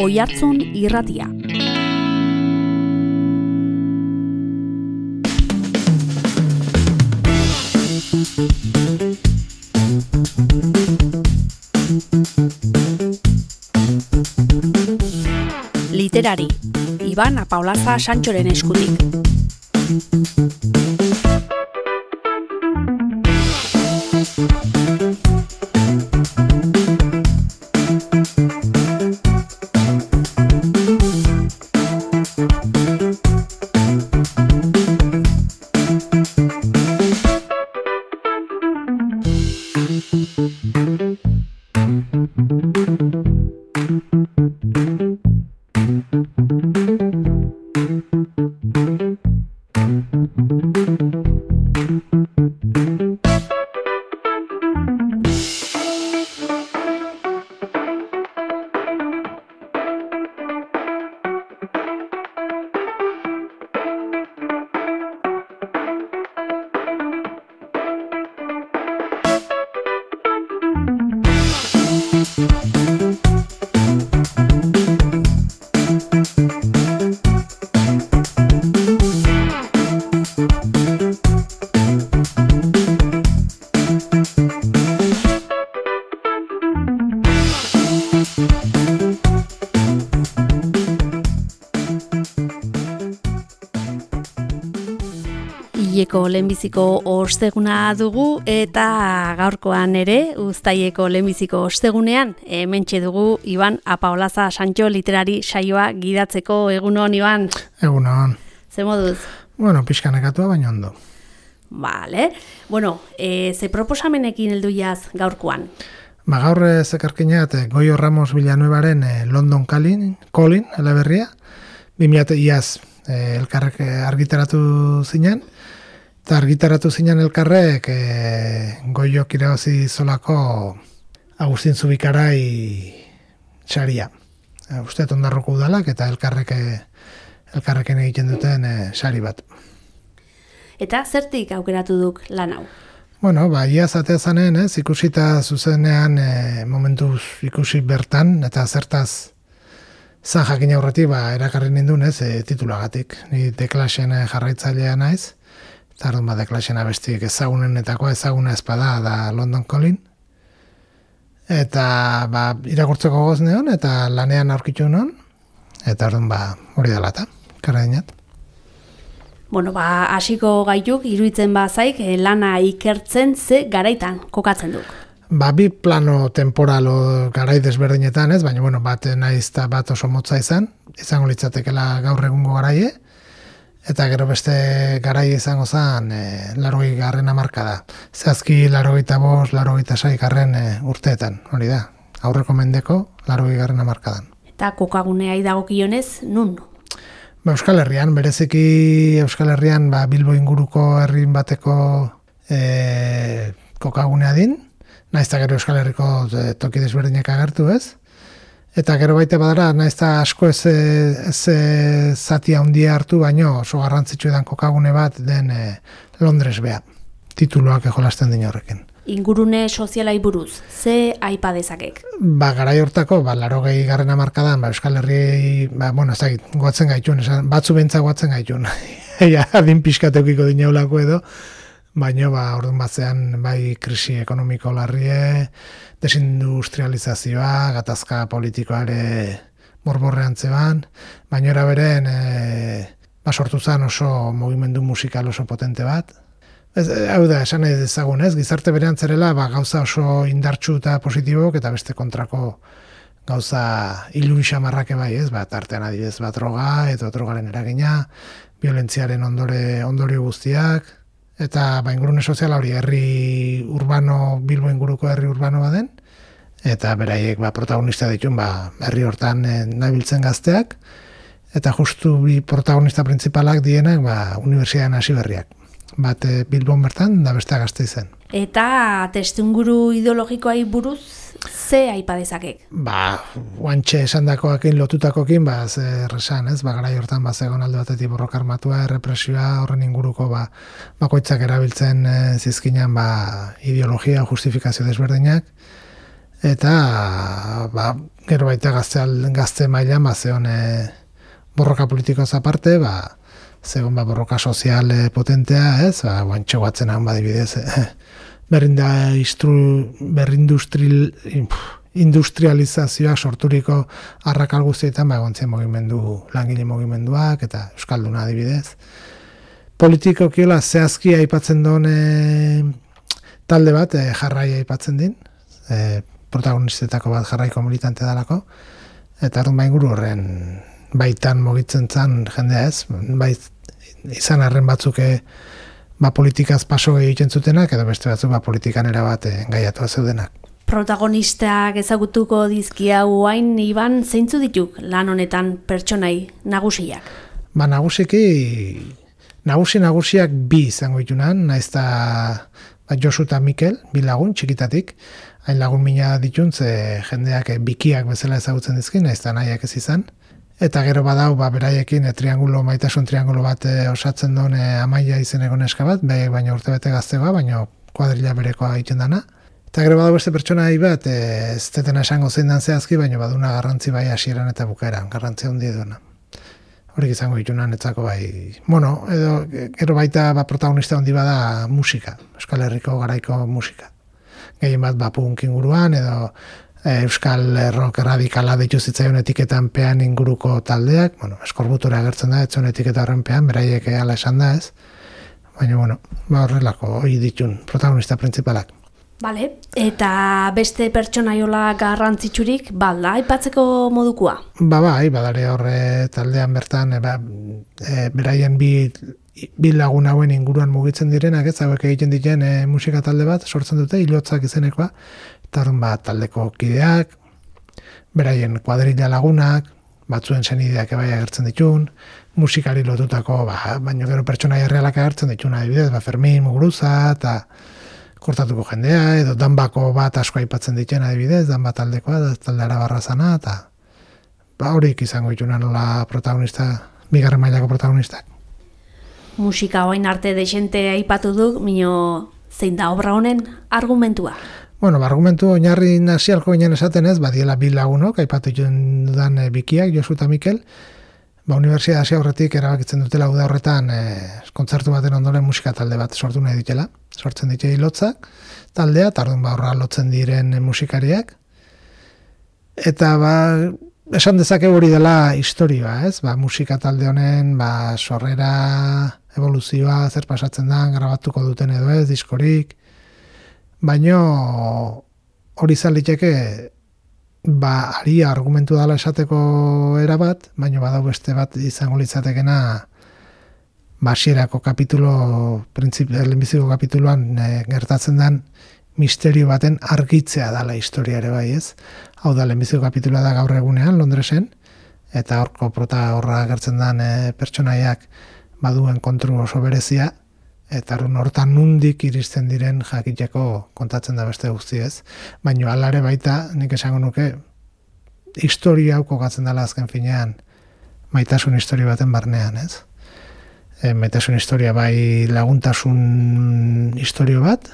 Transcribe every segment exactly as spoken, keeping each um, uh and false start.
Oihartzun Irratia. Literari, Iban Apaolaza Santxoren eskutik. Uztaileko lehenbiziko osteguna dugu eta gaurkoan ere Uztaileko lehenbiziko ostegunean hementxe dugu Iban Apaolaza Santxo literari saioa gidatzeko. Egunon, Iban? Egunon. Ze moduz? Bueno, pixkanekatua baino ondo. Vale. Bueno, e, ze proposamenekin heldu jaz gaurkoan? Ba, gaur zekarkineat Goyo Ramos Villanuevaren eh, London Calling, Calling, eleberria, bimila iaz eh, elkarrek argitaratu zinen, eta argitaratu zinen elkarrek eh, Goyok irabazi zolako Agustin Zubikarai saria. E, uste ondarroko udalak eta elkarrek elkarreken egiten duten eh, sari bat. Eta zertik aukeratu duk lan hau? Bueno, ba, iaz atea zanen, ez, ikusita zuzenean e, momentuz ikusi bertan, eta zertaz zan jakin aurretik, ba, erakarri nindun, ez, e, titulagatik. Ni deklasen jarraitzailea naiz, eta ardun ba, deklasen abestik ezagunenetakoa, ezaguna espada da London Calling. Eta, ba, irakurtzeko goz neon, eta lanean aurkitu non, eta ardun ba, hori dela eta, karra dinat. Bueno, ba, hasiko gaituk, iruditzen bazaik, lana ikertzen ze garaitan kokatzen duk. Ba, bi plano temporalo garai desberdinetan, ez? Baina, bueno, bat naiz eta bat oso motza izan, izango litzatekela gaur egungo garaie, eta gero beste garai izango zen e, larogei garren hamarkada. Zehazki larogei eta bost, larogei eta sei garren e, urteetan, hori da, aurreko mendeko larogei garren hamarkadan. Eta kokagunea idagokionez, nun? Ba, Euskal Herrian, bereziki Euskal Herrian ba, Bilbo inguruko herrin bateko e, kokagunea din, naiz eta gero Euskal Herriko e, toki desberdinak agertu, ez? Eta gero baita badara, naiz eta asko ez, ez zati handia hartu, baino oso garrantzitsu edan kokagune bat den e, Londres bea, tituluak ejolasten din horrekin. Ingurune sozialai buruz, ze aipa dezakek? Ba, garai hortako, ba, larogei garren hamarkadan, ba, Euskal Herri, ba, bueno, ez dakit, goatzen gaitun, esan, batzu bentza goatzen gaitun. Eia, adin pixkateukiko dineulako edo, baina, ba, orduan batzean, bai, krisi ekonomiko larrie, desindustrializazioa, gatazka politikoare borborrean zeban, baina era beren, e, ba, sortu zen oso mugimendu musikal oso potente bat. Ez, hau da, esan nahi dezagun, ez? Gizarte berean zerela, ba, gauza oso indartsu eta positibok, eta beste kontrako gauza ilun xamarrake bai, ez? Ba, tartean adibidez bat droga, eta drogaren eragina, violentziaren ondore, ondorio guztiak, eta ba, ingurune soziala hori herri urbano, Bilbo inguruko herri urbano baden, eta beraiek ba, protagonista ditun, ba, herri hortan eh, nabiltzen gazteak, eta justu bi protagonista principalak dienak, ba, unibertsitatean hasi berriak. Bat Bilbon bertan, da beste gazte zen. Eta testuinguru ideologikoai buruz, ze aipa dezakek? Ba, guantxe esandakoakin lotutakokin, ba, zer esan, ez? Ba, garai hortan, ba, zegoen alde batetik borroka armatua, errepresioa, horren inguruko, ba, bakoitzak erabiltzen e, zizkinan, ba, ideologia, justifikazio desberdinak, eta ba, gero baita gazte, gazte mailan ba, zeon e, borroka politikoaz aparte, ba, zeon ba, borroka sozial e, potentea, ez, ba, guantxo batzen hau badibidez, e, berrinda istru, berrindustril, industrializazioak sorturiko arrakal guztietan ba, egontzen mugimendu, langile mugimenduak, eta Euskalduna adibidez. Politikokiola zehazki aipatzen duen e, talde bat, e, jarrai aipatzen din, e, protagonistetako bat jarraiko militante dalako, eta arrun bain guru horren baitan mugitzen zan jendea ez, bai izan arren batzuk e, ba, politikaz paso egiten zutenak, edo beste batzuk ba, politikan erabat engaiatua zeudenak. Protagonistak ezagutuko dizkia guain, Iban, zeintzu dituk lan honetan pertsonai nagusiak? Ba, nagusiki, nagusi nagusiak bi izango ditunan, naiz eta ba, Josu eta Mikel, bi lagun, txikitatik, hain lagun mina dituntz, e, jendeak e, bikiak bezala ezagutzen dizkin, naiz eta nahiak ez izan. Eta gero badau, ba, beraiekin e, triangulo, maitasun triangulo bat e, osatzen duen e, Amaia izeneko neska bat, behiek baino urtebete gaztegoa, baino kuadrilla berekoa egiten dana. Eta gero badau beste pertsona bat, e, ez tetena esango zein dan zehazki, baino baduna garrantzi bai hasieran eta bukaeran, garrantzi handi duena. Horik izango ditunan etzako bai, bueno, edo gero baita ba, protagonista handi bada musika, Euskal Herriko garaiko musika. Gehien bat ba, punk inguruan, edo e, Euskal Rock radikala deitu zitzaion etiketan pean inguruko taldeak, bueno, eskorbutura agertzen da, etzon etiketa horren pean, beraiek ala esan da ez, baina, bueno, ba, horrelako hori ditun protagonista principalak. Bale, eta beste pertsonaiola garrantzitsurik, balda, aipatzeko modukua? Ba, bai, badare horre taldean bertan, e, ba, e, beraien bi, bi lagun hauen inguruan mugitzen direnak, ez, hauek egiten diren e, musika talde bat, sortzen dute, hilotzak izenekoa, eta horren bat taldeko kideak, beraien kuadrilla lagunak, batzuen senideak ebai agertzen ditun, musikari lotutako, ba, baino gero pertsonaia errealak agertzen ditun, adibidez, ba, Fermin, Muguruza, eta kortatuko jendea, edo danbako bat asko aipatzen dituen adibidez, danba taldekoa, talde arabarra zana, eta ba, horik izango dituna nola protagonista, bigarren mailako protagonistak. Musika hoain arte desente aipatu duk, mino zein da obra honen argumentua? Bueno, ba, argumentu oinarri nasialko ginen esaten ez, badiela bi lagunok, aipatu dudan e, bikiak, Josu eta Mikel, ba, Unibertsitate hasi aurretik erabakitzen dutela uda horretan e, kontzertu baten ondoren musika talde bat sortu nahi ditela. Sortzen ditu hilotzak taldea, tardun ba horra lotzen diren e, musikariak. Eta ba, esan dezake hori dela historioa, ez? Ba, musika talde honen ba, sorrera, evoluzioa, zer pasatzen da, grabatuko duten edo ez, diskorik. Baino hori zaliteke ba, ari argumentu dala esateko erabat, baina badau beste bat izango litzatekena basierako kapitulo, lehenbiziko kapituloan e, gertatzen den misterio baten argitzea dala historia ere bai ez. Hau da, lehenbiziko kapituloa da gaur egunean, Londresen, eta horko prota horra gertzen den e, pertsonaiak baduen kontrol oso berezia, eta hortan nundik iristen diren jakiteko kontatzen da beste guzti ez. Baina alare baita, nik esango nuke, historia hau kokatzen dela azken finean, maitasun historia baten barnean ez. E, maitasun historia bai laguntasun historia bat,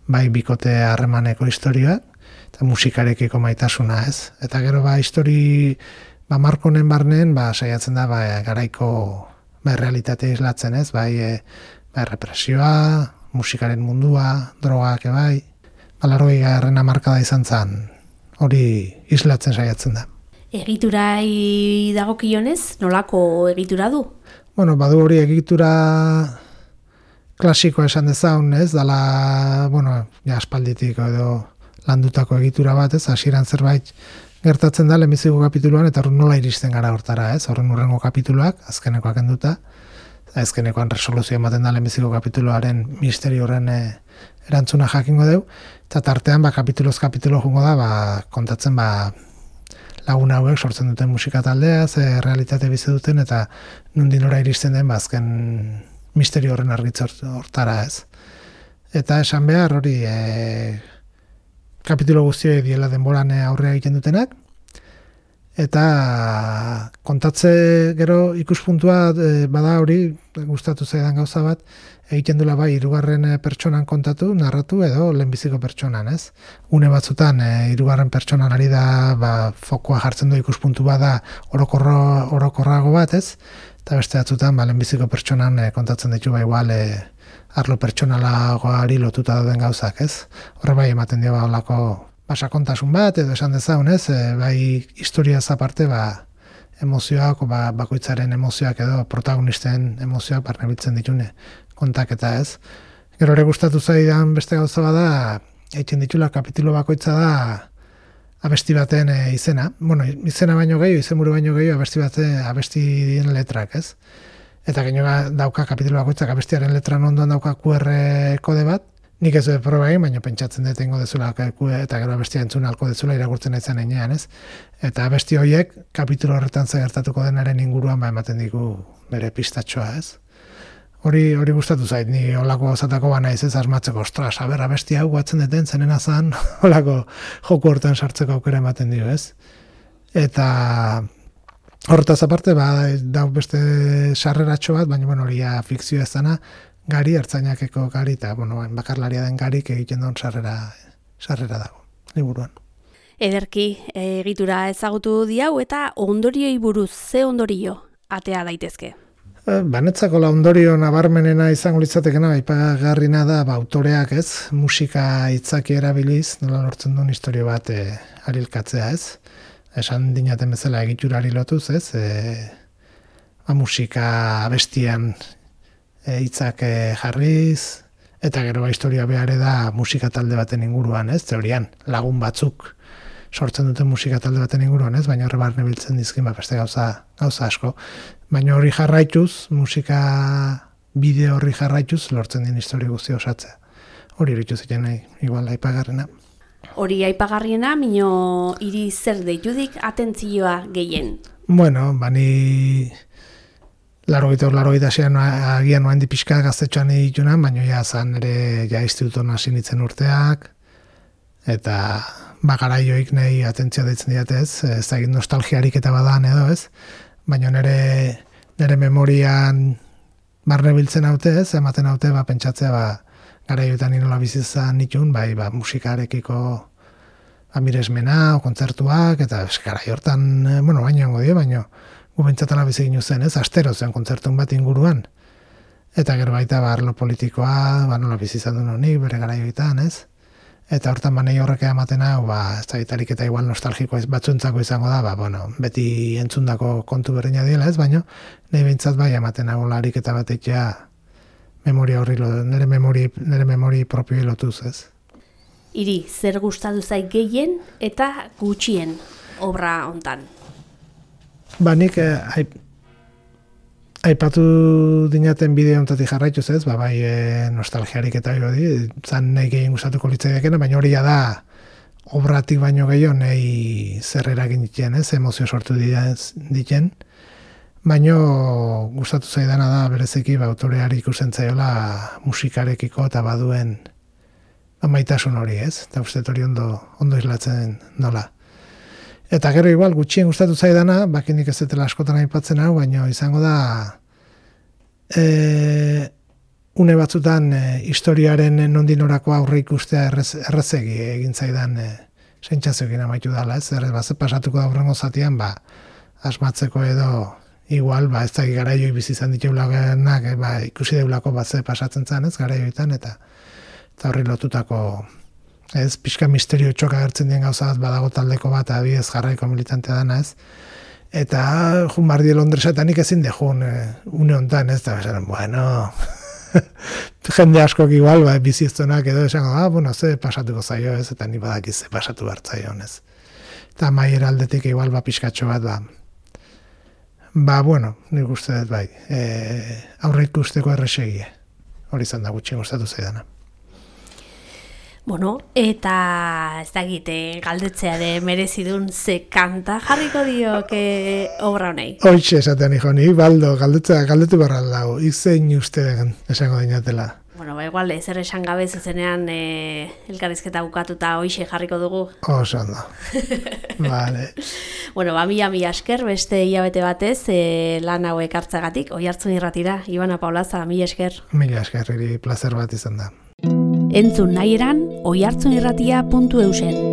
bai bikote harremaneko historia, eta musikarekiko maitasuna ez. Eta gero ba histori, ba markonen barnean, ba saiatzen da ba, garaiko ba, realitatea islatzen ez, bai e, ba, represioa, musikaren mundua, drogak ebai, balarroi garren hamarkada izan zen, hori islatzen saiatzen da. Egiturai dagokionez, nolako egitura du? Bueno, badu hori egitura klasikoa esan dezaun, ez, dala, bueno, ja aspalditik edo landutako egitura bat, ez, hasieran zerbait gertatzen da lehenbiziko kapituluan, eta horren nola iristen gara hortara, ez, horren urrengo kapituluak, azkenekoak enduta, azkenekoan resoluzio ematen da lehenbiziko kapituluaren misterio horren e, erantzuna jakingo deu, eta tartean, ba, kapituloz kapitulo jungo da, ba, kontatzen, ba, lagun hauek sortzen duten musika taldea, ze realitate bizi duten, eta nundin ora iristen den, ba, azken misterio horren argitz hortara ez. Eta esan behar hori e, kapitulo guztioi diela denboran aurrea egiten dutenak, eta kontatze gero ikuspuntua e, bada hori, gustatu zaidan gauza bat, egiten dula bai hirugarren pertsonan kontatu, narratu edo lehenbiziko pertsonan, ez? Une batzutan e, hirugarren pertsonan ari da, ba, fokoa jartzen du ikuspuntu bada orokorro, orokorrago bat, ez? Eta beste batzutan ba, lehenbiziko pertsonan e, kontatzen ditu ba igual e, arlo pertsonalagoari lotuta dauden gauzak, ez? Horre bai ematen dio ba holako ba, sakontasun bat edo esan dezagun, ez? E, bai historiaz aparte ba emozioak, ba, bakoitzaren emozioak edo protagonisten emozioak barnebiltzen ditune kontaketa, ez? Gero ere gustatu zaidan beste gauza bada, egiten ditula kapitulu bakoitza da abesti baten e, izena. Bueno, izena baino gehiago, izenburu baino gehiago abesti baten abestien letrak, ez? Eta gainera dauka kapitulu bakoitzak abestiaren letran ondoan dauka Q R kode bat. Nik ez dut proba egin, baina pentsatzen dut egingo dezula eta gero abestia entzun alko dezula irakurtzen aitzen enean, ez? Eta abesti horiek kapitulu horretan gertatuko denaren inguruan ba ematen digu bere pistatxoa, ez? Hori hori gustatu zait, ni holako gauzatako ba naiz ez asmatzeko, ostras, aber abesti hau batzen deten zenena zan, holako joku hortan sartzeko aukera ematen dio, ez? Eta hortaz aparte, ba, dau beste sarreratxo bat, baina bueno, hori fikzioa ez dana, Gari, ertzainakeko Gari, eta bueno, bakarlaria den Garik egiten duen sarrera, sarrera dago, liburuan. Ederki, egitura ezagutu diau eta ondorioi buruz, ze ondorio atea daitezke? Banetzako la ondorio nabarmenena izango litzatekena, aipagarrina da, ba, autoreak ez, musika hitzaki erabiliz, nola lortzen duen historio bat e, arilkatzea ez. Esan dinaten bezala egiturari lotuz ez, e, ba, musika abestian hitzak e, jarriz, eta gero ba, historia behar da musika talde baten inguruan ez, teorian lagun batzuk sortzen duten musika talde baten inguruan ez, baina horre barne biltzen dizkin, ba, beste gauza, gauza asko. Baina hori jarraituz, musika bideo horri jarraituz, lortzen din historia guzti osatzea. Hori hori zuten nahi, igual aipagarrena. Hori aipagarriena, mino hiri zer deitudik atentzioa gehien? Bueno, bani larogeita hor larogeita zean agian noen dipixka gaztetxoan ditunan, baina ja zan ere ja instituton hasi nintzen urteak, eta bakaraioik nahi atentzioa deitzen diatez, ez da egin nostalgiarik eta badan edo ez, baina nire, nire memorian barne biltzen haute ez, ematen haute ba, pentsatzea ba, garaioetan inola bizizan nitun, bai ba, musikarekiko ba, miresmena, o kontzertuak, eta garai hortan, bueno, baino hongo dio, baino gu bentsatala biziginu zen ez, astero zen kontzertun bat inguruan, eta gero baita ba, arlo politikoa, ba, nola bizizan duen honik, bere garaioetan ez, eta hortan banei horrek ematen hau, ba, ez da gitarik eta igual nostalgiko ez batzuentzako izango da, ba, bueno, beti entzundako kontu berdina diela ez, baino, nahi behintzat bai ematen hau larik eta bat eitea memoria horri, nire memori, nire memori propioi lotuz ez. Iri, zer gustatu zait gehien eta gutxien obra hontan? Ba, nik eh, aip, aipatu dinaten bideo hontatik jarraituz ez, ba, bai e, nostalgiarik eta hori, zan nahi gehien gustatuko litzaideakena, baina hori da obratik baino gehiago nahi zer eragin ditien ez, emozio sortu ditien, baina gustatu zaidana da bereziki ba, autoreari ikusten zaiola musikarekiko eta baduen ba, maitasun hori ez, eta uste hori ondo, ondo islatzen nola. Eta gero igual gutxien gustatu zaidana, bakinik ez dutela askotan aipatzen hau, baina izango da e, une batzutan e, historiaren nondinorako aurre ikustea errez, errezegi egin zaidan e, sentsazioekin amaitu dela, ez? Errez, ba, ze pasatuko da hurrengo zatian, ba, asmatzeko edo igual, ba, ez da garaioi bizi izan dituelagenak, e, ba, ikusi deulako bat ze pasatzen zen, ez, garaioetan, eta eta horri lotutako ez, pixka misterio txoka agertzen dien gauza bat badago taldeko bat, abidez jarraiko militantea dana ez, eta jun bardi Londresetan nik ezin dejun e, une hontan ez, eta esan, bueno, jende askok igual, ba, biziztonak edo esango, ah, bueno, ze pasatuko zaio ez, eta ni badakiz ze pasatu bertzaio ez. Eta maiera aldetik igual, ba, pixkatxo bat, ba, ba, bueno, nik uste dut bai, e, aurre ikusteko erresegie, hori izan da gutxi gustatu zaidana. Bueno, eta ez dakite galdetzeare merezidun ze kanta jarriko dioke obra honei. Hoitxe esaten nijo, ni baldo, galdetzea, galdetu barra dago, izein uste esango dinatela. Bueno, ba, igual, ezer esan gabe zuzenean e, elkarrizketa bukatuta hoixe jarriko dugu. Oso ondo. Vale. Bueno, ba, mila mila esker, beste hilabete batez, e, lan hauek hartzagatik, Oihartzun Irratira, Ibon Apaolaza, mila esker. Mila esker, iri plazer bat izan da. Entzun nahi eran, oihartzunirratia puntu eusen.